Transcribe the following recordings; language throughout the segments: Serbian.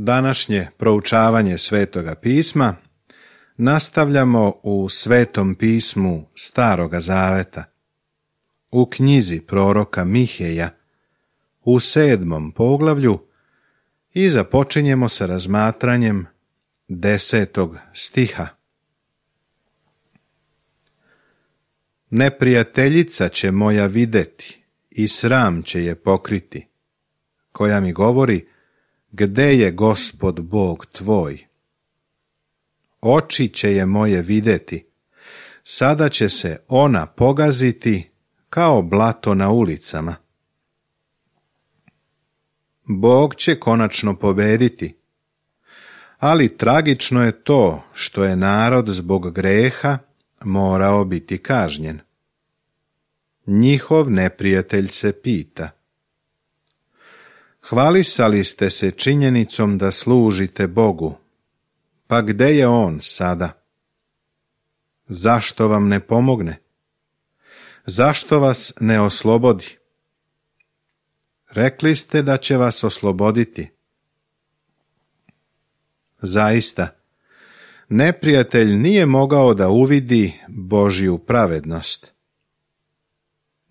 Današnje proučavanje Svetoga pisma nastavljamo u Svetom pismu Staroga Zaveta, u knjizi proroka Miheja, u 7. poglavlju i započinjemo sa razmatranjem 10. stiha. Neprijateljica će moja videti i sram će je pokriti, koja mi govori: gde je Gospod Bog tvoj? Oči će je moje videti, sada će se ona pogaziti kao blato na ulicama. Bog će konačno pobediti, ali tragično je to što je narod zbog greha morao biti kažnjen. Njihov neprijatelj se pita: hvalisali ste se činjenicom da služite Bogu, pa gde je On sada? Zašto vam ne pomogne? Zašto vas ne oslobodi? Rekli ste da će vas osloboditi. Zaista, neprijatelj nije mogao da uvidi Božju pravednost.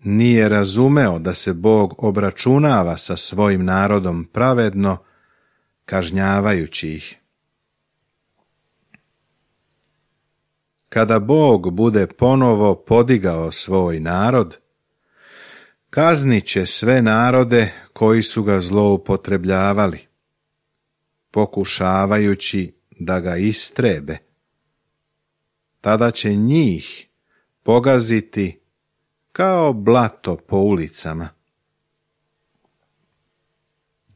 Nije razumeo da se Bog obračunava sa svojim narodom pravedno, kažnjavajući ih. Kada Bog bude ponovo podigao svoj narod, kaznit će sve narode koji su ga zloupotrebljavali, pokušavajući da ga istrebe. Tada će njih pogaziti kao blato po ulicama.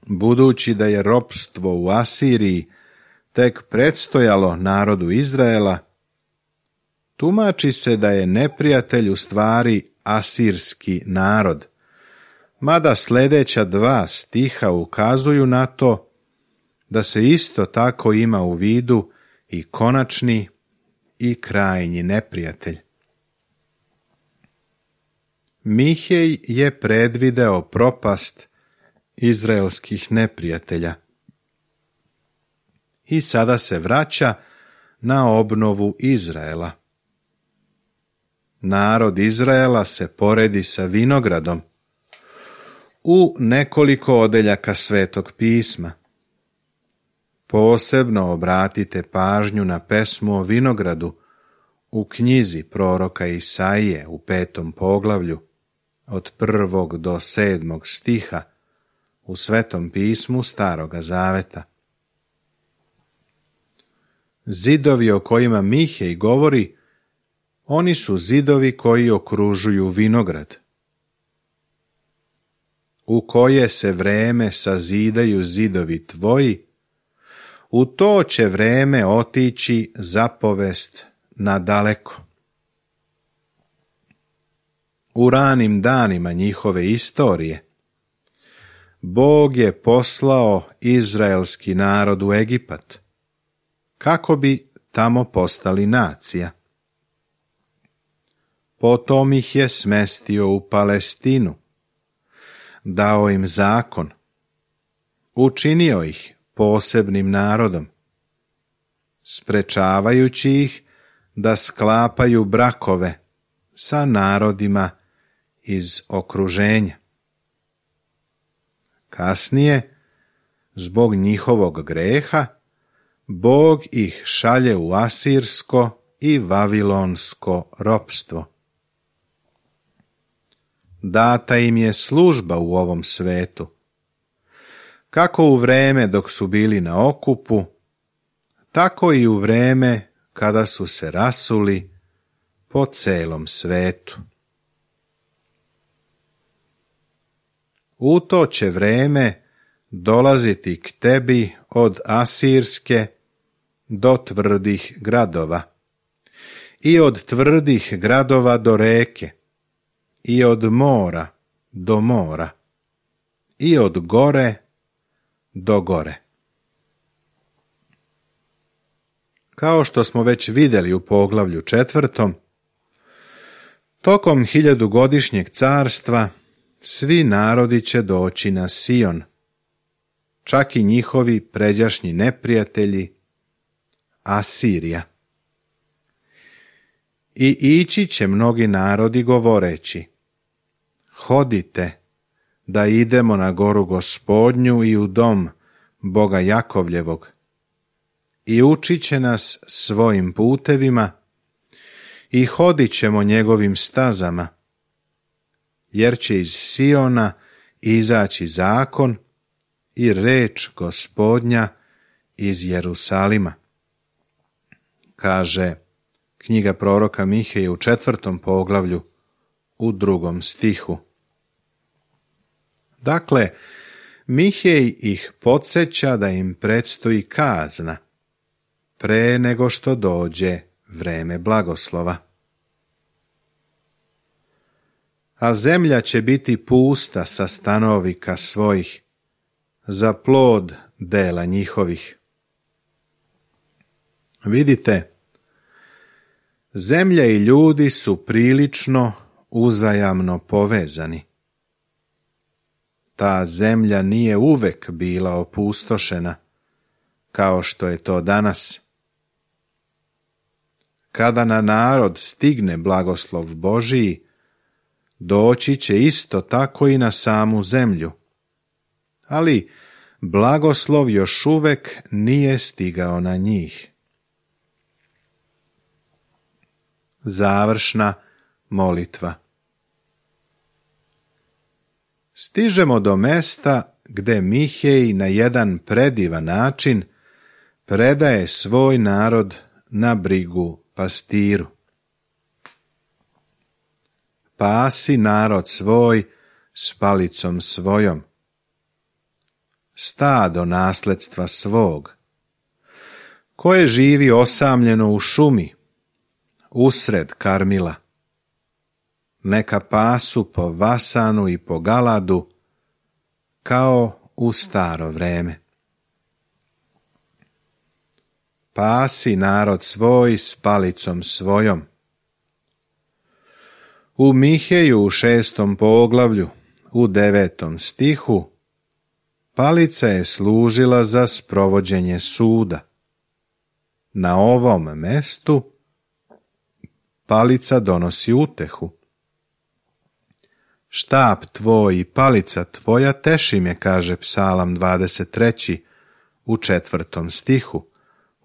Budući da je ropstvo u Asiriji tek predstojalo narodu Izraela, tumači se da je neprijatelj u stvari asirski narod, mada sljedeća 2 stiha ukazuju na to da se isto tako ima u vidu i konačni i krajnji neprijatelj. Mihej je predvideo propast izraelskih neprijatelja i sada se vraća na obnovu Izraela. Narod Izraela se poredi sa vinogradom u nekoliko odeljaka Svetog pisma. Posebno obratite pažnju na pesmu o vinogradu u knjizi proroka Isaije u 5. poglavlju od 1. do 7. stiha u Svetom pismu Staroga Zaveta. Zidovi o kojima Mihej govori, oni su zidovi koji okružuju vinograd. U koje se vreme sazidaju zidovi tvoji, u to će vreme otići zapovest nadaleko. U ranim danima njihove istorije Bog je poslao izraelski narod u Egipat, kako bi tamo postali nacija. Potom ih je smestio u Palestinu, dao im zakon, učinio ih posebnim narodom, sprečavajući ih da sklapaju brakove sa narodima iz okruženja. Kasnije, zbog njihovog greha, Bog ih šalje u asirsko i vavilonsko ropstvo. Data im je služba u ovom svetu, kako u vreme dok su bili na okupu, tako i u vreme kada su se rasuli po celom svetu. U to će vreme dolaziti k tebi od Asirske do tvrdih gradova, i od tvrdih gradova do reke, i od mora do mora, i od gore do gore. Kao što smo već vidjeli u poglavlju 4, tokom 1000-godišnjeg carstva svi narodi će doći na Sion, čak i njihovi pređašnji neprijatelji, Asirija. I ići će mnogi narodi govoreći: hodite, da idemo na goru Gospodnju i u dom Boga Jakovljevog, i učit će nas svojim putevima, i hodit ćemo njegovim stazama, jer će iz Siona izaći zakon i reč Gospodnja iz Jerusalima. Kaže knjiga proroka Miheje u 4. poglavlju u 2. stihu. Dakle, Mihej ih podsjeća da im predstoji kazna pre nego što dođe vreme blagoslova. A zemlja će biti pusta sa stanovnika svojih, za plod dela njihovih. Vidite, zemlja i ljudi su prilično uzajamno povezani. Ta zemlja nije uvek bila opustošena, kao što je to danas. Kada na narod stigne blagoslov Božiji, doći će isto tako i na samu zemlju. Ali blagoslov još uvek nije stigao na njih. Završna molitva. Stižemo do mesta gde Mihej na jedan predivan način predaje svoj narod na brigu pastiru. Pasi narod svoj s palicom svojom, stado nasledstva svog, koje živi osamljeno u šumi, usred Karmila. Neka pasu po Vasanu i po Galadu, kao u staro vreme. Pasi narod svoj s palicom svojom. U Miheju u 6. poglavlju, u 9. stihu, palica je služila za sprovođenje suda. Na ovom mestu palica donosi utehu. Štap tvoj i palica tvoja teši me, kaže Psalam 23. u 4. stihu,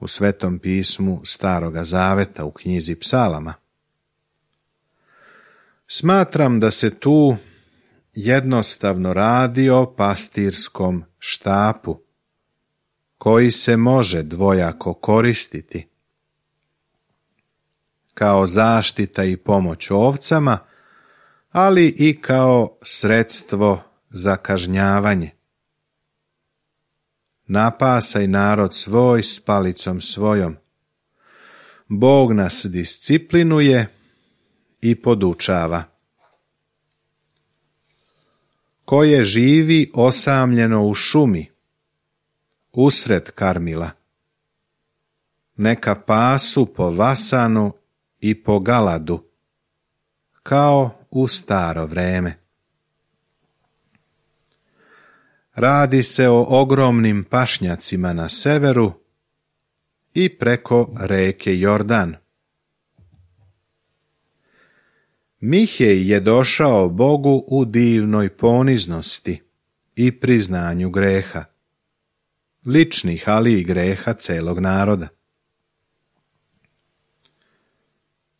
u Svetom pismu Staroga Zaveta u knjizi Psalama. Smatram da se tu jednostavno radi o pastirskom štapu, koji se može dvojako koristiti. Kao zaštita i pomoć ovcama, ali i kao sredstvo za kažnjavanje. Napasaj narod svoj s palicom svojom. Bog nas disciplinuje i podučava. Koje živi osamljeno u šumi, usred Karmila. Neka pasu po Vasanu i po Galadu, kao u staro vreme. Radi se o ogromnim pašnjacima na severu i preko reke Jordan. Mihej je došao Bogu u divnoj poniznosti i priznanju greha, ličnih, ali i greha celog naroda.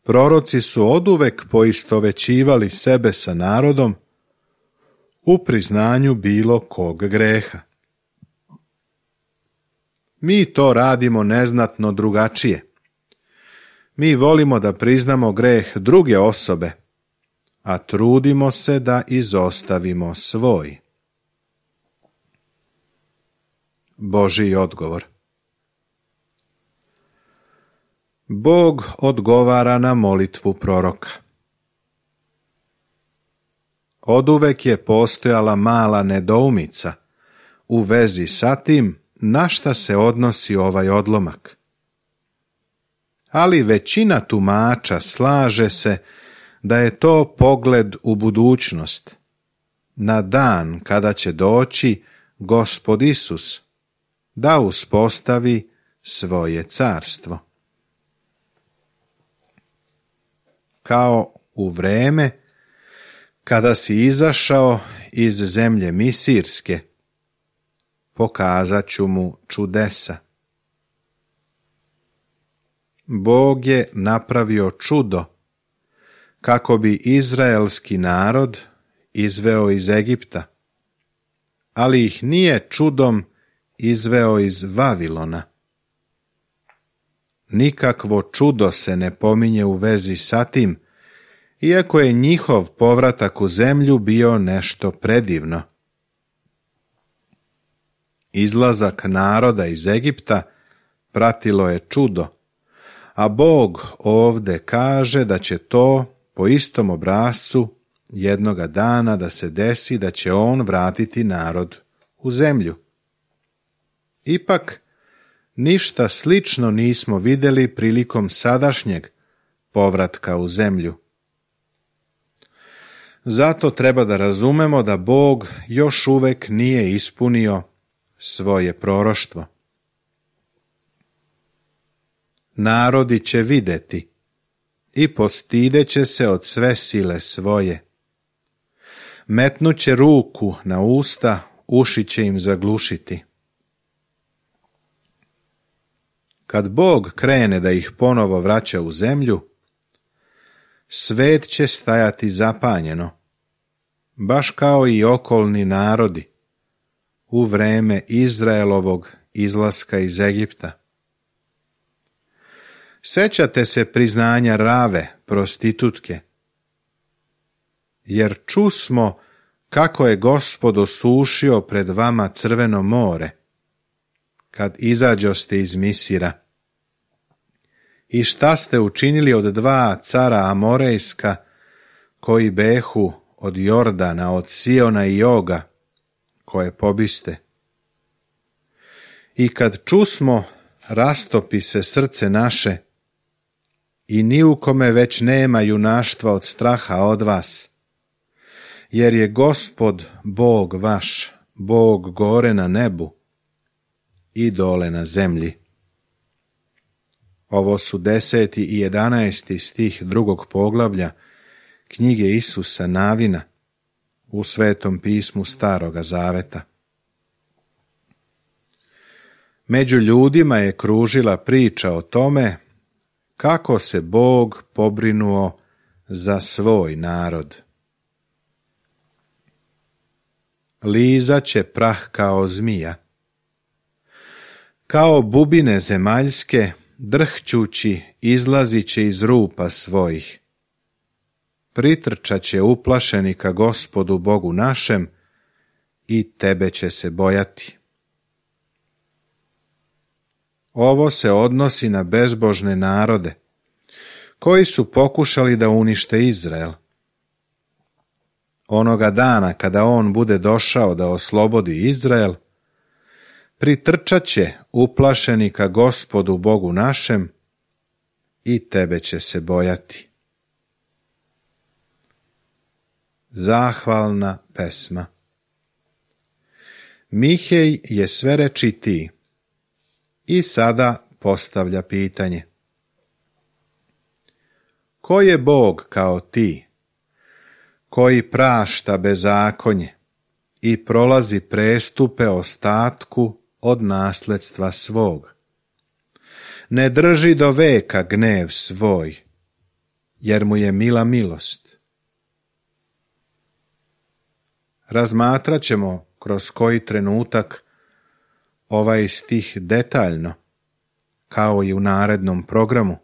Proroci su oduvek poistovećivali sebe sa narodom u priznanju bilo kog greha. Mi to radimo neznatno drugačije. Mi volimo da priznamo greh druge osobe, a trudimo se da izostavimo svoj. Božji odgovor. Bog odgovara na molitvu proroka. Oduvek je postojala mala nedoumica u vezi sa tim na šta se odnosi ovaj odlomak. Ali većina tumača slaže se da je to pogled u budućnost, na dan kada će doći Gospod Isus, da uspostavi svoje carstvo. Kao u vreme kada si izašao iz zemlje Misirske, pokazat ću mu čudesa. Bog je napravio čudo kako bi izraelski narod izveo iz Egipta, ali ih nije čudom izveo iz Vavilona. Nikakvo čudo se ne pominje u vezi sa tim, iako je njihov povratak u zemlju bio nešto predivno. Izlazak naroda iz Egipta pratilo je čudo, a Bog ovde kaže da će to po istom obrascu jednoga dana da se desi da će on vratiti narod u zemlju. Ipak, ništa slično nismo vidjeli prilikom sadašnjeg povratka u zemlju. Zato treba da razumemo da Bog još uvek nije ispunio svoje proroštvo. Narodi će videti i postideće se od sve sile svoje. Metnuće ruku na usta, uši će im zaglušiti. Kad Bog krene da ih ponovo vraća u zemlju, svet će stajati zapanjeno, baš kao i okolni narodi u vreme Izraelovog izlaska iz Egipta. Sećate se priznanja Rave, prostitutke, jer čusmo kako je Gospod osušio pred vama Crveno more, kad izađoste iz Misira. I šta ste učinili od 2 cara Amorejska, koji behu od Jordana, od Siona i Oga, koje pobiste. I kad čusmo, rastopi se srce naše, i ni u kome već nema junaštva od straha od vas, jer je Gospod Bog vaš, Bog gore na nebu i dole na zemlji. Ovo su 10. i 11. stih 2. poglavlja knjige Isusa Navina u Svetom pismu Staroga Zaveta. Među ljudima je kružila priča o tome kako se Bog pobrinuo za svoj narod. Lizat će prah kao zmija. Kao bubine zemaljske, drhćući, izlazit će iz rupa svojih. Pritrčat će uplašeni ka Gospodu Bogu našem i tebe će se bojati. Ovo se odnosi na bezbožne narode, koji su pokušali da unište Izrael. Onoga dana kada on bude došao da oslobodi Izrael, pritrčat će uplašeni ka Gospodu Bogu našem i tebe će se bojati. Zahvalna pesma. Mihej je sve rečitiji i sada postavlja pitanje. Ko je Bog kao ti, koji prašta bezakonje i prolazi prestupe ostatku od nasledstva svog? Ne drži do veka gnev svoj, jer mu je mila milost. Razmatrat ćemo kroz koji trenutak ovaj stih detaljno, kao i u narednom programu.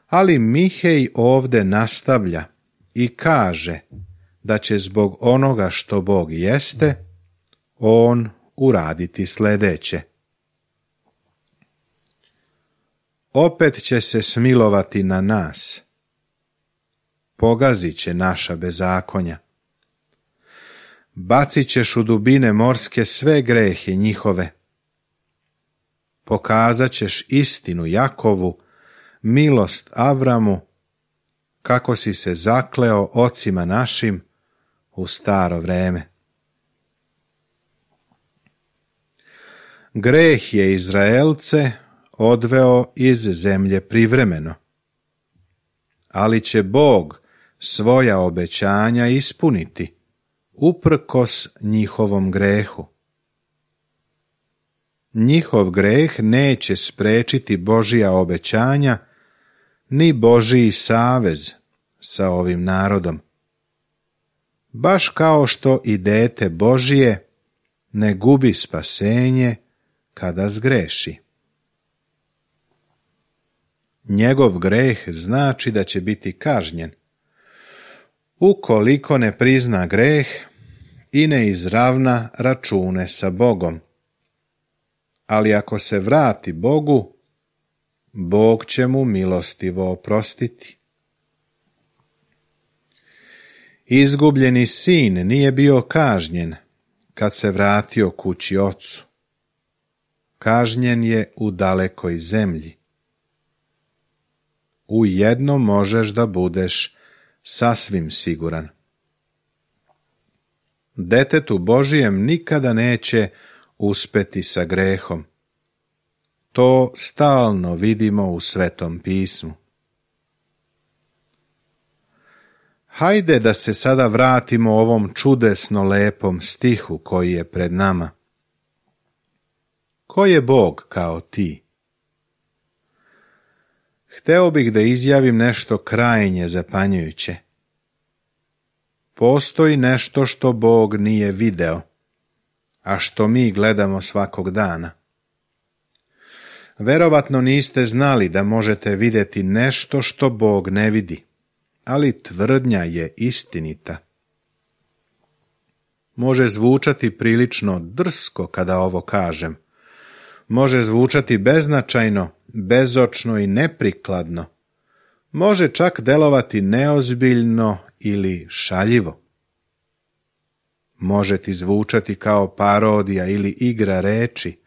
Ali Mihej ovde nastavlja i kaže da će zbog onoga što Bog jeste, on uraditi sljedeće. Opet će se smilovati na nas. Pogazit će naša bezakonja. Bacit ćeš u dubine morske sve grehe njihove. Pokazat ćeš istinu Jakovu, milost Avramu, kako si se zakleo ocima našim u staro vreme. Greh je Izraelce odveo iz zemlje privremeno, ali će Bog svoja obećanja ispuniti, uprkos njihovom grehu. Njihov greh neće sprečiti Božija obećanja, ni Božiji savez sa ovim narodom. Baš kao što i dete Božije ne gubi spasenje kada zgreši. Njegov greh znači da će biti kažnjen, ukoliko ne prizna greh i ne izravna račune sa Bogom. Ali ako se vrati Bogu, Bog će mu milostivo oprostiti. Izgubljeni sin nije bio kažnjen kad se vratio kući ocu. Kažnjen je u dalekoj zemlji. U jedno možeš da budeš sasvim siguran. Detetu Božijem nikada neće uspeti sa grehom. To stalno vidimo u Svetom pismu. Hajde da se sada vratimo ovom čudesno lepom stihu koji je pred nama. Ko je Bog kao ti? Hteo bih da izjavim nešto krajnje zapanjujuće. Postoji nešto što Bog nije video, a što mi gledamo svakog dana. Verovatno niste znali da možete vidjeti nešto što Bog ne vidi, ali tvrdnja je istinita. Može zvučati prilično drsko kada ovo kažem. Može zvučati beznačajno, bezočno i neprikladno. Može čak delovati neozbiljno ili šaljivo. Može ti zvučati kao parodija ili igra reči,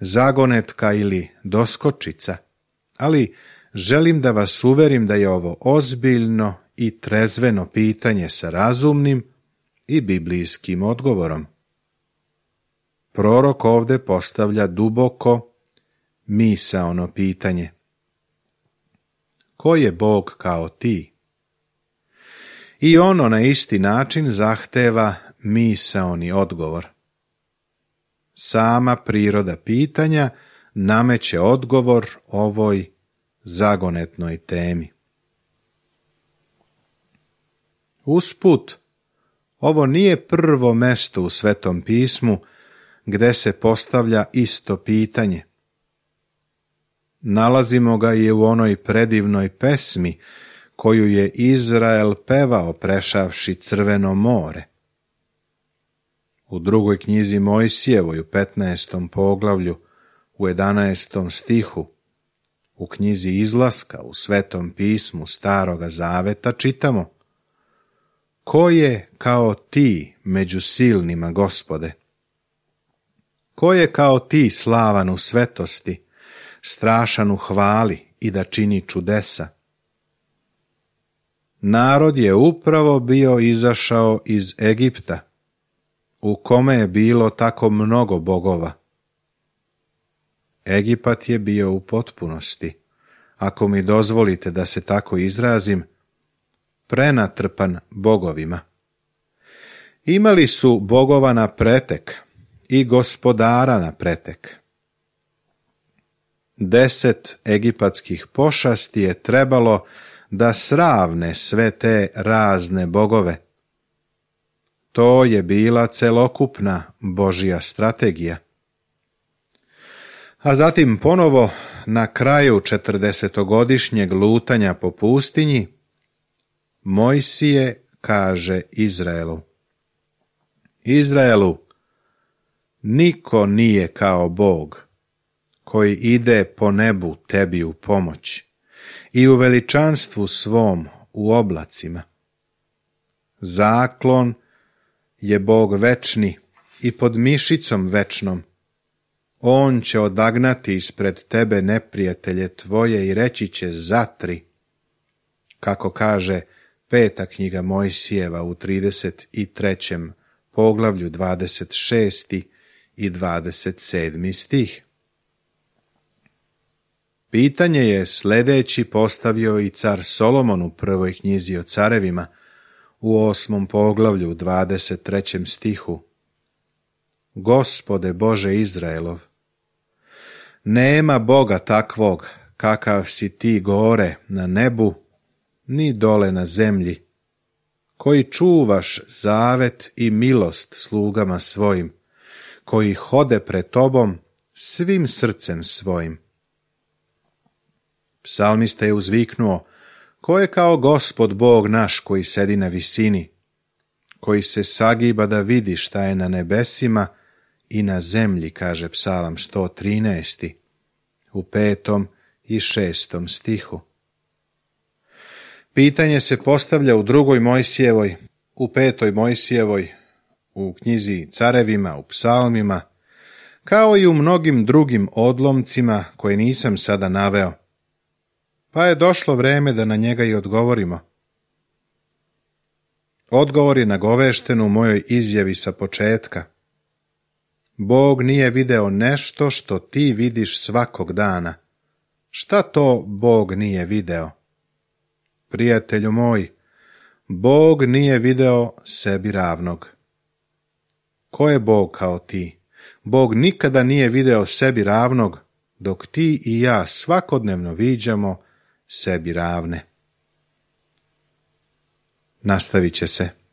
zagonetka ili doskočica, ali želim da vas uverim da je ovo ozbiljno i trezveno pitanje sa razumnim i biblijskim odgovorom. Prorok ovde postavlja duboko misaono pitanje. Ko je Bog kao ti? I ono na isti način zahteva misaoni odgovor. Sama priroda pitanja nameće odgovor ovoj zagonetnoj temi. Usput, ovo nije prvo mesto u Svetom pismu gde se postavlja isto pitanje. Nalazimo ga i u onoj predivnoj pesmi koju je Izrael pevao prešavši Crveno more. U drugoj knjizi Mojsijevoj u 15. poglavlju u 11. stihu, u knjizi Izlaska u Svetom pismu Staroga Zaveta čitamo: Ko je kao ti među silnima, Gospode? Ko je kao ti slavan u svetosti, strašan u hvali i da čini čudesa? Narod je upravo bio izašao iz Egipta, u kome je bilo tako mnogo bogova. Egipat je bio u potpunosti, ako mi dozvolite da se tako izrazim, prenatrpan bogovima. Imali su bogova na pretek i gospodara na pretek. 10 egipatskih pošasti je trebalo da sravne sve te razne bogove. To je bila celokupna Božja strategija. A zatim ponovo, na kraju 40-godišnjeg lutanja po pustinji, Mojsije kaže Izraelu: Izraelu, niko nije kao Bog, koji ide po nebu tebi u pomoć i u veličanstvu svom u oblacima. Zaklon je Bog večni i pod mišicom večnom. On će odagnati ispred tebe neprijatelje tvoje i reći će zatri, kako kaže 5. knjiga Mojsijeva u 33. poglavlju 26. i 27. stih. Pitanje je sljedeći postavio i car Solomon u prvoj knjizi o carevima, u 8. poglavlju 23. stihu. Gospode Bože Izraelov, nema Boga takvog kakav si ti gore na nebu, ni dole na zemlji, koji čuvaš zavet i milost slugama svojim, koji hode pred tobom svim srcem svojim. Psalmista je uzviknuo, ko je kao Gospod Bog naš koji sedi na visini, koji se sagiba da vidi šta je na nebesima i na zemlji, kaže Psalam 113. u 5. i 6. stihu. Pitanje se postavlja u 2. Mojsijevoj, u 5. Mojsijevoj, u knjizi Carevima, u Psalmima, kao i u mnogim drugim odlomcima koje nisam sada naveo, pa je došlo vreme da na njega i odgovorimo. Odgovor je nagovešten u mojoj izjavi sa početka. Bog nije video nešto što ti vidiš svakog dana. Šta to Bog nije video? Prijatelju moj, Bog nije video sebi ravnog. Ko je Bog kao ti? Bog nikada nije video sebi ravnog, dok ti i ja svakodnevno viđamo sebi ravne. Nastavit će se.